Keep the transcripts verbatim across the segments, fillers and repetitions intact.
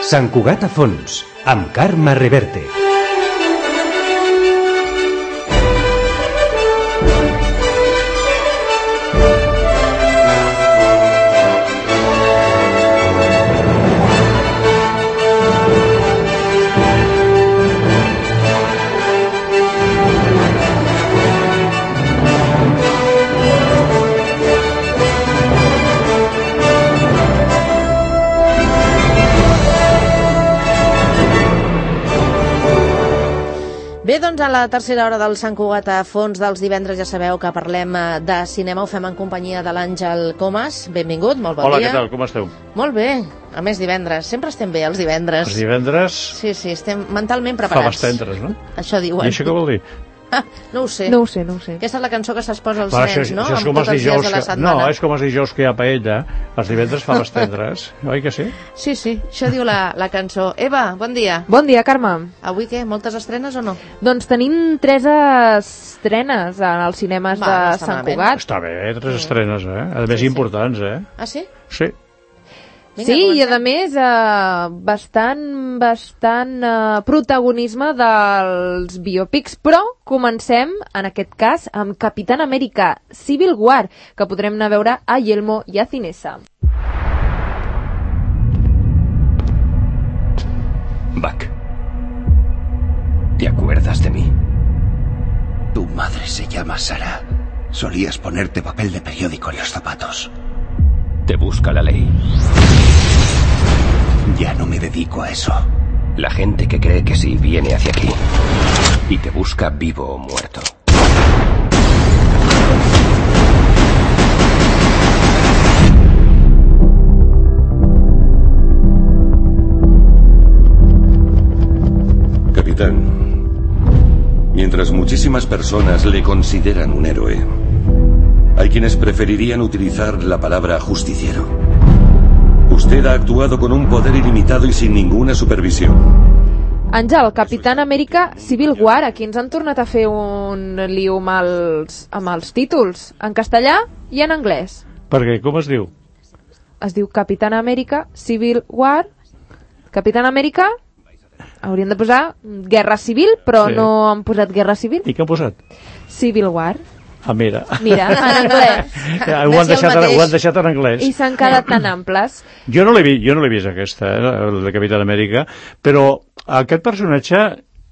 Sant Cugat a fons, amb Carme Reverte. Bé, doncs a la tercera hora del Sant Cugat a fons dels divendres ja sabeu que parlem de cinema, ho fem en companyia de l'Àngel Comas. Benvingut, molt bon Hola, dia. Hola, què tal, com esteu? Molt bé, a més divendres, sempre estem bé els divendres. Els divendres... Sí, sí, estem mentalment preparats. Faves tendres, no? Això diuen. I això què vol dir? Ah, no ho sé. No ho sé, no ho sé. Aquesta és la cançó que s'esposa als Va, nens, això, no? Això és com amb els tots els dies dijous de la que... setmana. No, és com els dijous que hi ha paella. Els divendres faves tendres, oi que sí? Sí, sí, això diu la, la cançó. Eva, bon dia. Bon dia, Carme. Avui què, moltes estrenes o no? Doncs tenim tres estrenes als cinemes Va, de no està Sant malament. Cugat. Està bé, tres estrenes, eh? A més, Sí, sí. importants, eh? Ah, sí? Sí. Vinga, Sí, i comencem. a més, eh, bastant, bastant eh, protagonisme dels biopics, però comencem, en aquest cas, amb Capitán América Civil War, que podrem anar a veure a Yelmo i a Cinesa. Buck, ¿te acuerdas de mí? Tu madre se llama Sara. Solías ponerte papel de periódico en los zapatos. Te busca la ley. Ya no me dedico a eso. La gente que cree que sí viene hacia aquí y te busca vivo o muerto. Capitán, mientras muchísimas personas le consideran un héroe, hay quienes preferirían utilizar la palabra justiciero. Usted ha actuado con un poder ilimitado y sin ninguna supervisión. Àngel, Capitán América Civil War, aquí ens han tornat a fer un lío amb els, amb els títols, en castellà i en anglès. Perquè, com es diu? Es diu Capitán América Civil War. Capitán América, haurien de posar Guerra Civil, però Sí. no han posat Guerra Civil. I què han posat? Civil War. Ah, mira. Mira, en anglès. Ja, ho, han Més i el deixat, mateix. ho han deixat en anglès. I s'han quedat tan amples. Jo no l'he vi, jo no l'he vist aquesta, eh, el de Capitán Amèrica, però aquest personatge,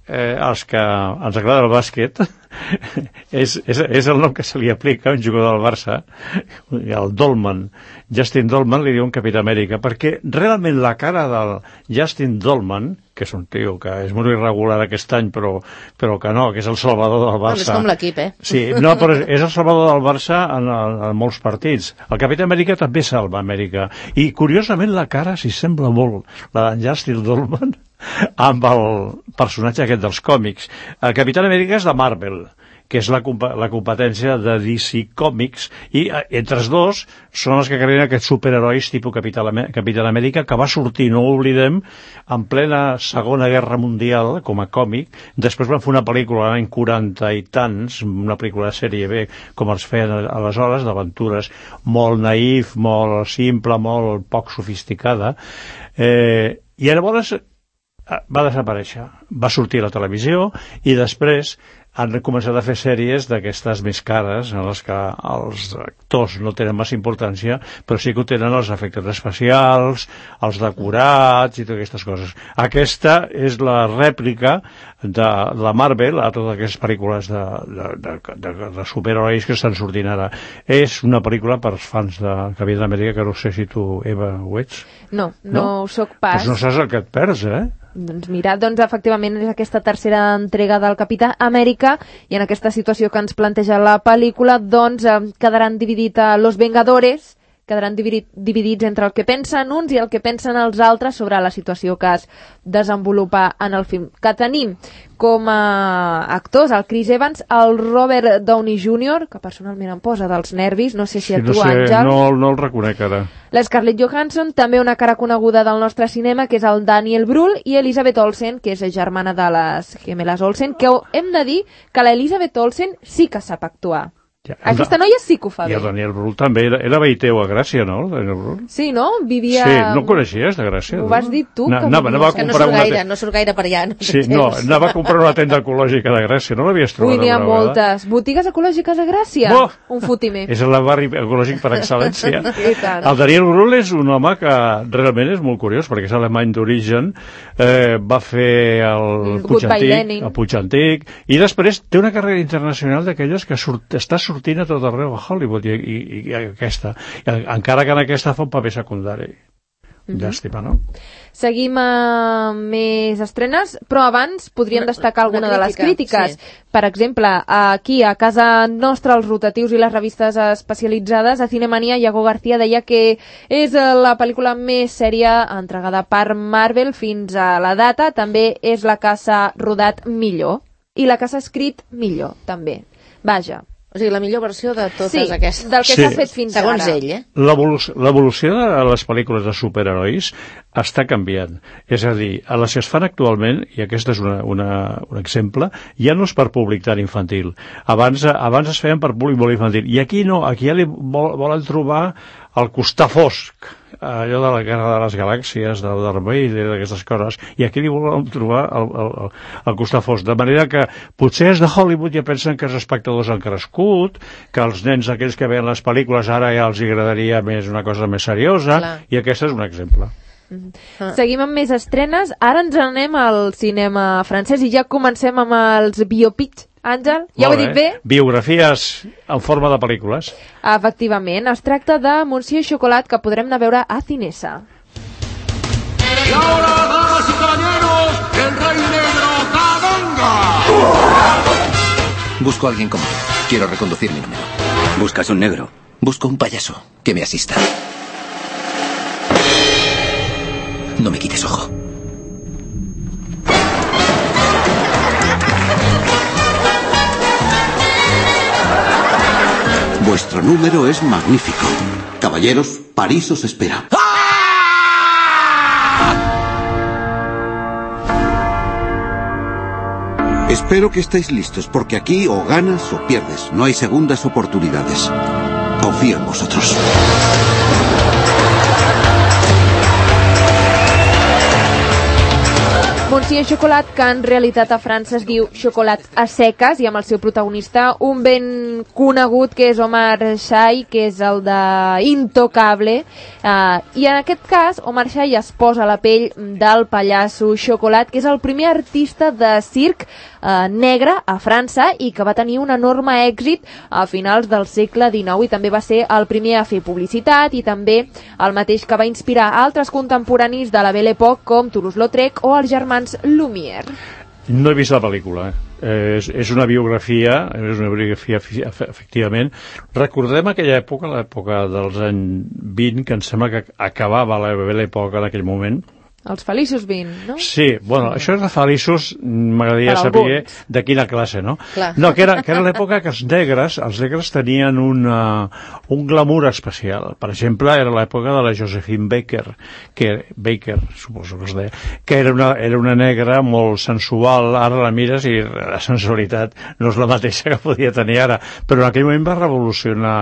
eh, els que ens agrada el bàsquet, és, és, és el nom que se li aplica a un jugador del Barça, el Dolman. Justin Dolman li diuen Capitán Amèrica, perquè realment la cara del Justin Dolman, que és un tio que és molt irregular aquest any, però, però que no, que és el salvador del Bueno, Barça. és com l'equip, eh? Sí, no, però és el salvador del Barça en, en, en molts partits. El Capità Amèrica també salva Amèrica. I, curiosament, la cara s'hi sembla molt, la d'en Justin Dolman, amb el personatge aquest dels còmics. El Capità Amèrica és de Marvel, que és la, la competència de D C Comics, i entre els dos són els que creen aquests superherois tipus Capitán Amèrica, que va sortir, no ho oblidem, en plena Segona Guerra Mundial, com a còmic. Després van fer una pel·lícula l'any quaranta i tants, una pel·lícula de sèrie B, com els feien aleshores, d'aventures, molt naïf, molt simple, molt poc sofisticada. Eh, I llavors va desaparèixer. Va sortir a la televisió i després han començat a fer sèries d'aquestes més cares, en les que els actors no tenen massa importància, però sí que ho tenen els efectes especials, els decorats i totes aquestes coses. Aquesta és la rèplica de la Marvel a totes aquestes pel·lícules de, de, de, de, de superherois que estan sortint ara. És una pel·lícula per fans de Capitán Amèrica, que no sé si tu, Eva, ho ets? No, no, No? no ho soc pas. Doncs no saps el que et perds, eh? Doncs mira, doncs efectivament és aquesta tercera entrega del Capità Amèrica i en aquesta situació que ens planteja la pel·lícula doncs eh, quedaran dividit a Los Vengadores, quedaran dividit, dividits entre el que pensen uns i el que pensen els altres sobre la situació que es desenvolupa en el film. Que tenim com a actors el Chris Evans, el Robert Downey júnior, que personalment em posa dels nervis, no sé si a Sí, tu, no sé, Àngel. no, no el reconec ara. La Scarlett Johansson, també una cara coneguda del nostre cinema, que és el Daniel Brühl, i Elizabeth Olsen, que és germana de les gemeles Olsen, que hem de dir que l'Elizabeth Olsen sí que sap actuar. Ja, Aquesta noia sí que ho fa I bé. el Daniel Brühl també. Era, era veïteu a Gràcia, no, el Daniel Brühl? Sí, no? Vivia... Sí, no coneixies de Gràcia? Ho vas dir tu, Na, que anava, anava a Que no comprar surt una gaire, te- no surt gaire per allà. No Sí, no, anava a comprar una tenda ecològica de Gràcia. No l'havies trobat? Ui, n'hi ha alguna vegada? moltes. Botigues ecològiques a Gràcia? Oh! Un fotimer. És el barri ecològic per excel·lència. I tant. El Daniel Brühl és un home que realment és molt curiós, perquè és alemany d'origen, eh, va fer el Puig Goodbye Antic, Lenin. el Puig Antic, i després té una carrera internacional d'aquelles que surt, està sortint a tot arreu a Hollywood, i, i, i aquesta, I, encara que en aquesta fa un paper secundari. Mhm. Llàstima, no? Seguim amb més estrenes, però abans podríem Una- destacar alguna una de les crítica, crítiques. Per exemple, aquí a casa nostra, els rotatius i les revistes especialitzades, a Cinemania, Iago García deia que és eh, la pel·lícula més sèria entregada per Marvel fins a la data. També és la que s'ha rodat millor. I la que s'ha escrit millor, també. Vaja. O sigui, la millor versió de totes Sí, aquestes. del que Sí. s'ha fet fins Segons ara. ell, eh? L'evolució l'evolució de les pel·lícules de superherois està canviant. És a dir, a les que es fan actualment, i aquest és una, una, un exemple, ja no és per públic tan infantil. Abans, abans es feien per públic molt infantil. I aquí no, aquí ja li vol, volen trobar el costar fosc, allò de la Guerra de les Galàxies, de Darth Vader, d'aquestes coses, i aquí li volen trobar el, el, el costar fosc. De manera que potser és de Hollywood ja pensen que els espectadors han crescut, que els nens aquells que veuen les pel·lícules ara ja els agradaria més una cosa més seriosa, Clar. i aquest és un exemple. Ah. Seguim amb més estrenes. Ara ens anem al cinema francès i ja comencem amb els biopics. Àngel, ja ho he Molt dit bé? Biografies en forma de pel·lícules. Efectivament, es tracta de Monsieur Chocolat, que podrem anar a veure a Cinesa. Y ahora, damas y caballeros, el Rey Negro Kabanga. Busco a alguien como tú. Quiero reconducir mi número. ¿Buscas un negro? Busco un payaso que me asista. No me quites ojo. Vuestro número es magnífico. Caballeros, París os espera. Espero que estéis listos, porque aquí o ganas o pierdes. No hay segundas oportunidades. Confío en vosotros. Monsieur Chocolat, que en realitat a França es diu Xocolat a seques, i amb el seu protagonista, un ben conegut que és Omar Sy, que és el de Intocable, uh, i en aquest cas Omar Sy es posa la pell del pallasso Chocolat, que és el primer artista de circ uh, negre a França i que va tenir un enorme èxit a finals del segle dinou, i també va ser el primer a fer publicitat, i també el mateix que va inspirar altres contemporanis de la Belle Époque com Toulouse-Lautrec o els germans Lumière. No he vist la pel·lícula. Eh, és, és una biografia, és una biografia efectivament. Recordem aquella època, l'època dels anys vint, que em sembla que acabava la Belle Époque en aquell moment. Els feliços vint, no? Sí, bueno, això és de feliços, m'agradaria Per saber alguns. de quina classe, no? Clar. No, que era, que era l'època que els negres, els negres tenien una, un glamour especial. Per exemple, era l'època de la Josephine Baker, que, Baker, suposo que es deia, que era una, era una negra molt sensual. Ara la mires i la sensualitat no és la mateixa que podia tenir ara, però en aquell moment va revolucionar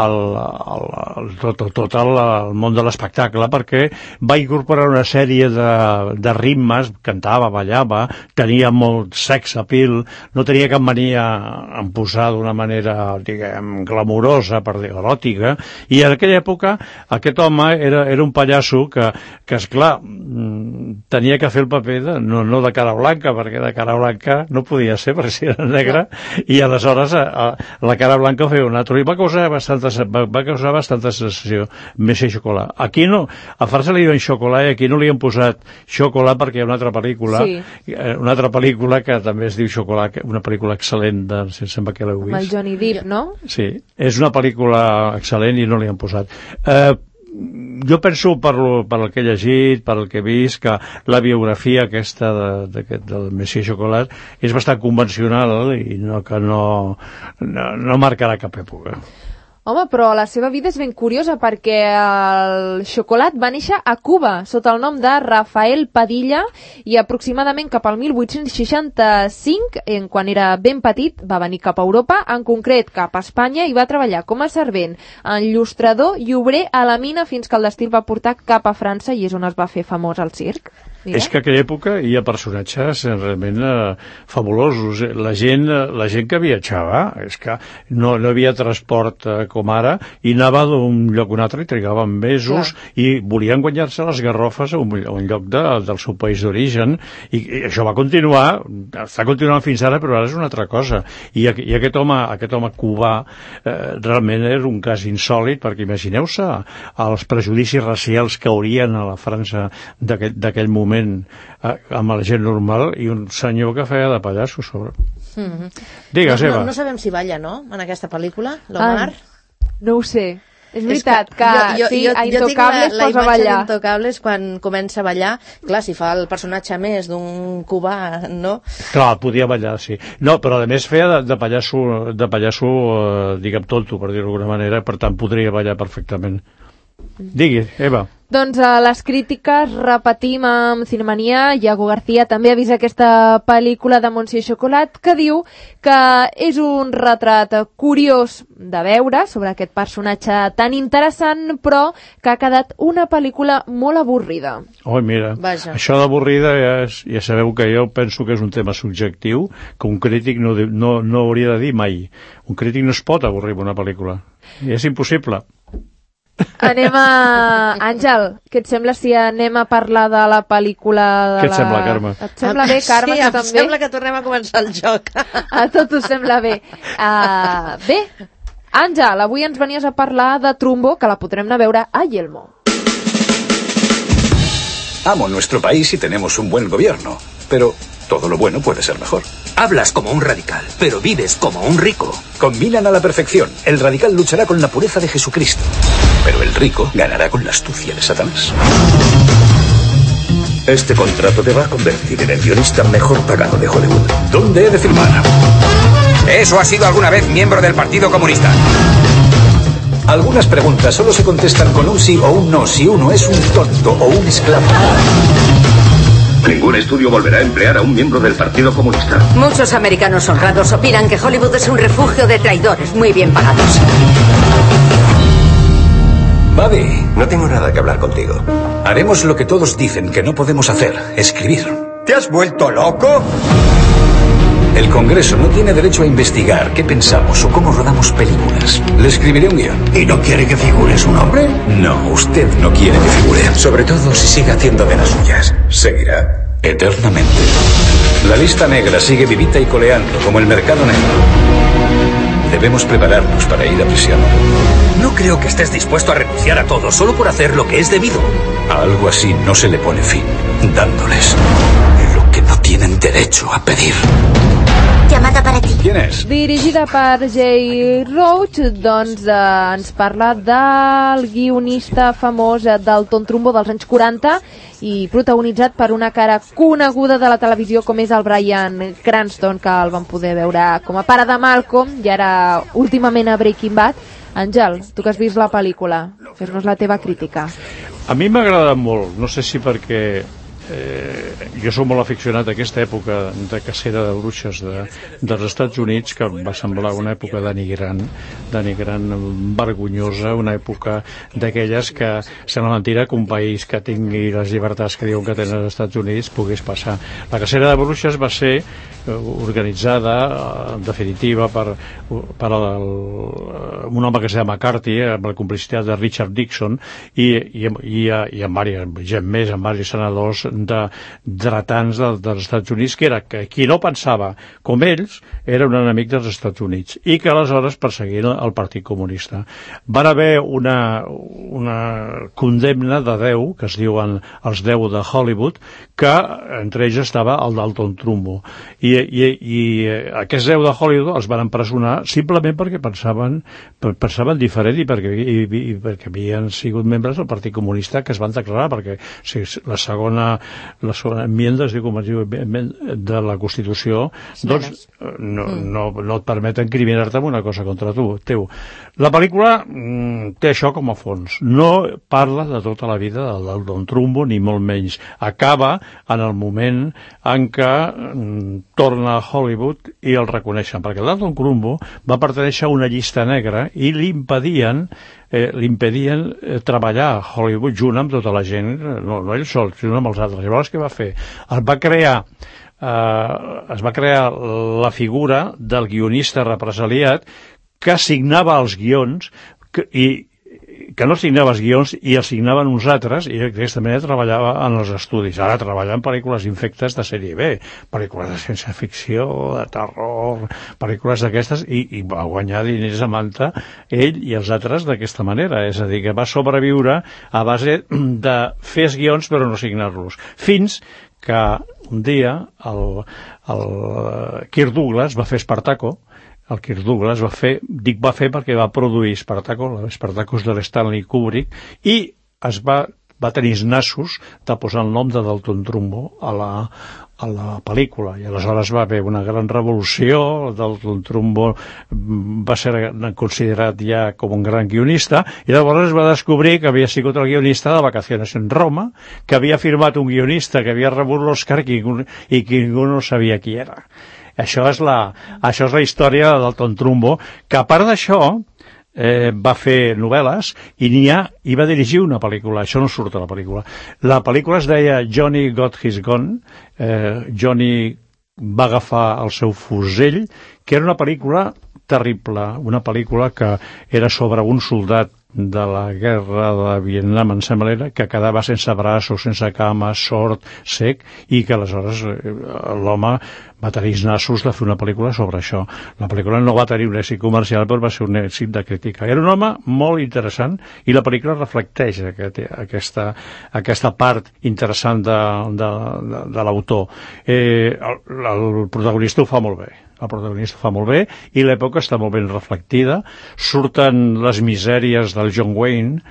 el, el, el, tot, tot, tot el, el món de l'espectacle, perquè va incorporar una sèrie de, de ritmes, cantava, ballava, tenia molt sex appeal, no tenia cap mania en posar d'una manera, diguem, glamurosa, per dir, eròtica, i en aquella època aquest home era, era un pallasso que, que esclar, tenia que fer el paper de, no, no de cara blanca, perquè de cara blanca no podia ser, perquè si era negra, i aleshores a, a, la cara blanca ho feia un altre, i va causar bastanta, va, va causar bastanta sensació, Monsieur Chocolat. Aquí no, a França li diuen xocolat i aquí no li han posat Xocolat perquè hi ha una altra pel·lícula, Sí. una altra pel·lícula que també es diu Xocolat, una pel·lícula excel·lent, de, si sembla que l'heu Amb el vist. Johnny Depp, no? Sí, és una pel·lícula excel·lent i no li han posat. Eh, jo penso, per, lo, per el que he llegit, per el que he vist, que la biografia aquesta de, de, del Monsieur Chocolat és bastant convencional i no, que no, no, no marcarà cap època. Home, però la seva vida és ben curiosa perquè el xocolat va néixer a Cuba sota el nom de Rafael Padilla i aproximadament cap al mil vuit-cents seixanta-cinc, en quan era ben petit, va venir cap a Europa, en concret cap a Espanya, i va treballar com a servent, enllustrador i obrer a la mina fins que el destí el va portar cap a França i és on es va fer famós al circ. Mira. És que a aquella època hi ha personatges realment eh, fabulosos. La gent, la gent que viatjava, és que no, no hi havia transport eh, com ara, i anava d'un lloc a un altre i trigaven mesos. Clar. I volien guanyar-se les garrofes a un, a un lloc de, del seu país d'origen, i, i això va continuar, està continuant fins ara, però ara és una altra cosa. I, i aquest home, aquest home cubà eh, realment era un cas insòlit, perquè imagineu-se els prejudicis racials que haurien a la França d'aquell moment amb la gent normal i un senyor que feia de pallasso sobre. Mm-hmm. Digues, no, Eva. No, no sabem si balla, no?, en aquesta pel·lícula, l'Omar. Ah, no ho sé. És veritat que, que jo, jo, sí, jo, a Intocables es posa a ballar. La imatge d'Intocables quan comença a ballar, clar, si fa el personatge més d'un cubà, no? Clar, podia ballar, sí. No, però a més feia de, de pallasso, de pallasso eh, diguem, tonto, per dir-ho d'alguna manera, per tant podria ballar perfectament. Digui, Eva. Doncs a les crítiques repetim amb Cinemania. Iago García també ha vist aquesta pel·lícula de Monsieur Chocolat, que diu que és un retrat curiós de veure sobre aquest personatge tan interessant, però que ha quedat una pel·lícula molt avorrida. Oh, mira, Vaja. Això d'avorrida ja, és, ja sabeu que jo penso que és un tema subjectiu, que un crític no, no, no hauria de dir mai. Un crític no es pot avorrir amb una pel·lícula. I és impossible. Anem a... Àngel, què et sembla si anem a parlar de la pel·lícula de Què et la... sembla, Carme? Et sembla bé, Carme, sí, que em també? sembla que tornem a començar el joc. A tot us sembla bé. Uh, bé, Àngel, avui ens venies a parlar de Trumbo, que la podrem anar a veure a Yelmo. Amo nuestro país y tenemos un buen gobierno, pero todo lo bueno puede ser mejor. Hablas como un radical, pero vives como un rico. Combinan a la perfección. El radical luchará con la pureza de Jesucristo, pero el rico ganará con la astucia de Satanás. Este contrato te va a convertir en el guionista mejor pagado de Hollywood. ¿Dónde he de firmar? ¿Eso ha sido alguna vez miembro del Partido Comunista? Algunas preguntas solo se contestan con un sí o un no, si uno es un tonto o un esclavo. Ningún estudio volverá a emplear a un miembro del Partido Comunista. Muchos americanos honrados opinan que Hollywood es un refugio de traidores muy bien pagados. Buddy, no tengo nada que hablar contigo. Haremos lo que todos dicen que no podemos hacer, escribir. ¿Te has vuelto loco? El Congreso no tiene derecho a investigar qué pensamos o cómo rodamos películas. Le escribiré un guión. ¿Y no quiere que figure su nombre? No, usted no quiere que figure. Sobre todo si sigue haciendo de las suyas. Seguirá eternamente. La lista negra sigue vivita y coleando como el mercado negro. Debemos prepararnos para ir a prisión. No creo que estés dispuesto a renunciar a todo solo por hacer lo que es debido. A algo así no se le pone fin, dándoles lo que no tienen derecho a pedir. Llamada para ti. ¿Quién és? Dirigida per Jay Roach, doncs eh, ens parla del guionista famós eh, Dalton Trumbo dels anys quaranta i protagonitzat per una cara coneguda de la televisió com és el Bryan Cranston, que el vam poder veure com a pare de Malcolm i ara últimament a Breaking Bad. Àngel, tu que has vist la pel·lícula, fes-nos la teva crítica. A mi m'ha agradat molt, no sé si perquè Eh, jo soc molt aficionat a aquesta època de cacera de bruixes de, dels Estats Units, que va semblar una època denigrant, denigrant vergonyosa, una època d'aquelles que sembla mentira que un país que tingui les llibertats que diuen que tenen els Estats Units pogués passar. La cacera de bruixes va ser organitzada en definitiva per, per el, un home que es deia McCarthy, amb la complicitat de Richard Nixon i, i, i, i amb diversos, gent més, amb diversos senadors de dretans de, dels Estats Units, que era que qui no pensava com ells era un enemic dels Estats Units i que aleshores perseguien el Partit Comunista. Van haver una, una condemna de deu, que es diuen els deu de Hollywood, que entre ells estava el Dalton Trumbo. I, i, i aquests deu de Hollywood els van empresonar simplement perquè pensaven, pensaven diferent i perquè, i, i perquè havien sigut membres del Partit Comunista, que es van declarar, perquè si la segona les enmiendes, diu, com es diu, de la Constitució, doncs no, no, no et permeten criminar-te amb una cosa contra tu, teu. La pel·lícula mm, té això com a fons. No parla de tota la vida del Don Trumbo, ni molt menys. Acaba en el moment en què mm, torna a Hollywood i el reconeixen, perquè el Don Trumbo va pertenèixer a una llista negra i li impedien Eh, li impedien eh, treballar a Hollywood junt amb tota la gent, no, no ell sol, sinó amb els altres. Llavors què va fer? Es va crear eh, es va crear la figura del guionista represaliat que signava els guions que, i que no signava els guions i els signaven uns altres, i d'aquesta manera treballava en els estudis. Ara treballa en pel·lícules infectes de sèrie B, pel·lícules de ciència-ficció, de terror, pel·lícules d'aquestes, i, i va guanyar diners a manta ell i els altres d'aquesta manera. És a dir, que va sobreviure a base de fer els guions però no signar-los. Fins que un dia el, el Kirk Douglas va fer Espartaco. El Kirk Douglas va fer, dic va fer perquè va produir Espartaco, l'Espartacus de l'Stanley Kubrick, i es va, va tenir els nassos de posar el nom de Dalton Trumbo a la, a la pel·lícula, i aleshores va haver una gran revolució. Dalton Trumbo va ser considerat ja com un gran guionista, i llavors es va descobrir que havia sigut el guionista de Vacaciones en Roma, que havia firmat un guionista que havia rebut l'Oscar i que ningú no sabia qui era. Això és, la, això és la història de Dalton Trumbo, que a part d'això eh, va fer novel·les i n'hi ha, i va dirigir una pel·lícula. Això no surt a la pel·lícula. La pel·lícula es deia Johnny Got His Gun. eh, Johnny va agafar el seu fusell, que era una pel·lícula terrible, una pel·lícula que era sobre un soldat de la guerra de Vietnam, em sembla, que quedava sense braços, sense cames, sord, sec, i que aleshores l'home va tenir els nassos de fer una pel·lícula sobre això. La pel·lícula no va tenir un èxit comercial, però va ser un èxit de crítica. Era un home molt interessant, i la pel·lícula reflecteix aquest, aquesta, aquesta part interessant de, de, de, de l'autor. Eh, el, el protagonista ho fa molt bé. El protagonista fa molt bé, i l'època està molt ben reflectida. Surten les misèries del John Wayne,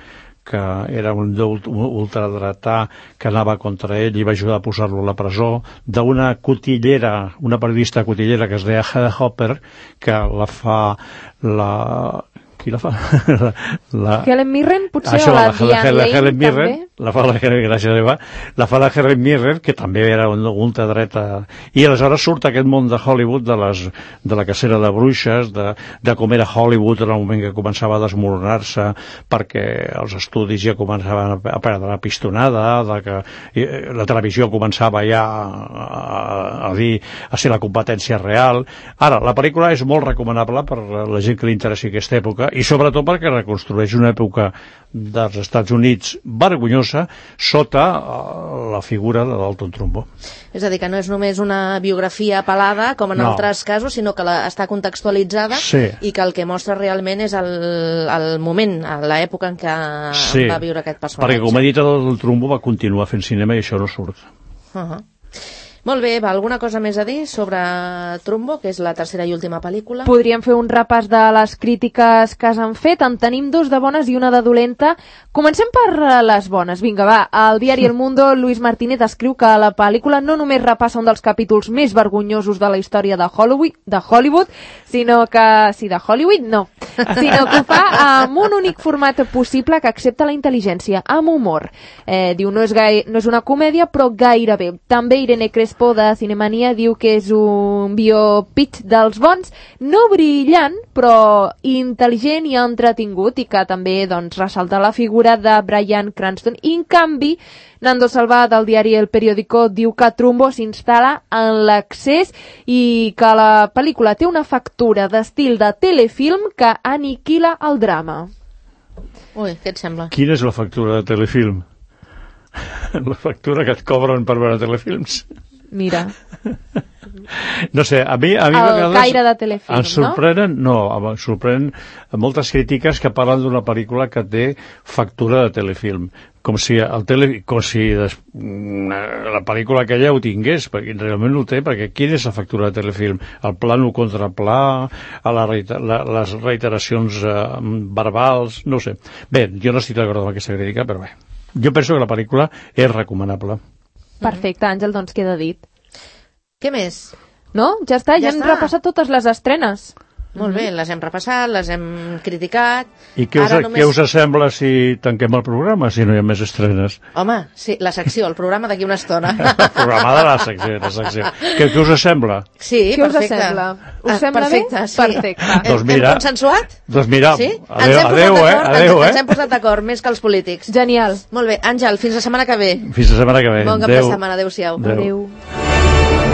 que era un ultradretà que anava contra ell i va ajudar a posar-lo a la presó, d'una cotillera, una periodista cotillera que es deia Heather Hopper, que la fa la... Qui la fa? la... Helen Mirren, potser, Això, o la, la Diane Lane, Helen Mirren, també? La fa la Helen, gràcies, Eva. La fa la Helen Mirren, que també era un ultradreta. I aleshores surt aquest món de Hollywood, de, les, de la cacera de bruixes, de, de com era Hollywood en el moment que començava a desmoronar-se, perquè els estudis ja començaven a perdre la pistonada, de que la televisió començava ja a, a dir, a ser la competència real. Ara, la pel·lícula és molt recomanable per la gent que li interessi aquesta època, i sobretot perquè reconstrueix una època dels Estats Units vergonyosa sota la figura de Dalton Trumbo. És a dir, que no és només una biografia pelada, com en no. altres casos, sinó que la, està contextualitzada, sí. i que el que mostra realment és el, el moment, l'època en què sí. va viure aquest personatge. Perquè, com he dit, el Trumbo va continuar fent cinema i això no surt. Uh-huh. Molt bé, Eva, alguna cosa més a dir sobre Trumbo, que és la tercera i última pel·lícula? Podríem fer un repàs de les crítiques que s'han fet. En tenim dos de bones i una de dolenta. Comencem per les bones. Vinga, va. Al diari El Mundo, Luis Martínez escriu que la pel·lícula no només repassa un dels capítols més vergonyosos de la història de Hollywood, de Hollywood sinó que... Sí, de Hollywood, no. Sinó que ho fa amb un únic format possible que accepta la intel·ligència, amb humor. Eh, diu, no és, gai... no és una comèdia, però gairebé. També Irene Crespo, de Cinemania, diu que és un biopitch dels bons, no brillant, però intel·ligent i entretingut, i que també doncs, ressalta la figura de Bryan Cranston. I, en canvi, Nando Salvà, del diari El Periódico, diu que Trumbo s'instal·la en l'accés i que la pel·lícula té una factura d'estil de telefilm que aniquila el drama. Ui, què et sembla? Quina és la factura de telefilm? La factura que et cobren per veure telefilms? Mira. No sé, a mi, a mi el caire de telefilm, em sorprenen, no? no, em sorprenen moltes crítiques que parlen d'una pel·lícula que té factura de telefilm, com si, el tele, com si des, la pel·lícula aquella ho tingués, perquè realment no ho té, perquè quina és la factura de telefilm? El plano contra pla, a la, la, les reiteracions eh, verbals, no sé. Bé, jo no estic d'acord amb aquesta crítica, però bé. Jo penso que la pel·lícula és recomanable. Perfecte, Àngel, doncs queda dit. Què més? No? Ja està, ja, Ja hem està. repassat totes les estrenes. Molt bé, les hem repassat, les hem criticat. I què us, Ara només... què us sembla si tanquem el programa, si no hi ha més estrenes? Home, sí, la secció, el programa d'aquí una estona. El programa de la secció. La secció. Què, què us sembla? Sí, Què us perfecte. sembla? Us Ah, sembla perfecte, bé? Sí. Perfecte. Doncs mira. Hem consensuat? Doncs mira, Sí? adeu, ens hem adeu, posat eh? d'acord, Adeu, ens, eh? ens hem posat d'acord, més que els polítics. Genial. Molt bé, Àngel, fins la setmana que ve. Fins la setmana que ve. Bon cap de setmana, adeu-siau. Adeu. Adéu.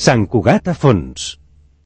Sant Cugat a fons.